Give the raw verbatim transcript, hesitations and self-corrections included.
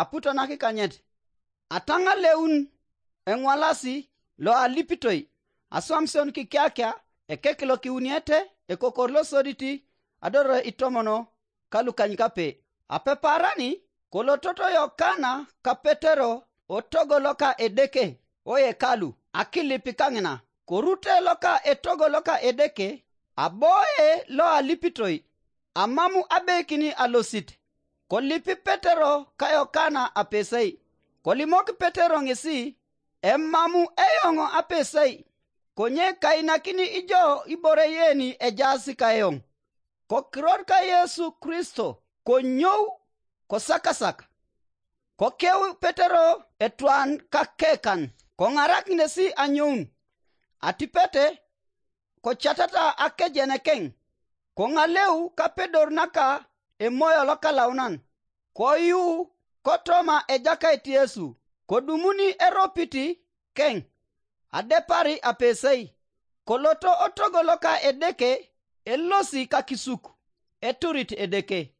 aputo nakikanyet. Ataŋaleun eŋwalasi loalipitoi, aswamision kikiakia, ekek lokiuniete, ekokor losoditi, adoro itomono kalukanykape. Apeparani, kolototo Yokana ka Petero otogo loka Edeke oekalu akilip kaŋina. Korute loka etogo loka Edeke, aboe loalipitoi, amamu abeikini alosit. Kolipi Petero ka Yokana apesei. Kolimok Petero ŋesi, emamu eoŋ apesei, konye kainakini ijo ibore yeni ejaas kaeoŋ. Kokiror ka Yesu Kristo, konyou, kosakasak. Kokeu Petero etwan kakekan, koŋarak ŋesi anyoun. Atipete, kocatata akejenekeŋ, koŋaleu kapedor naka Emoyo Lokalaunan, koyu kotoma Ejakait Yesu, kodumuni eropiti keŋ, adepari apesei, koloto otogo loka Edeke, elosi kakisuk, eturit Edeke.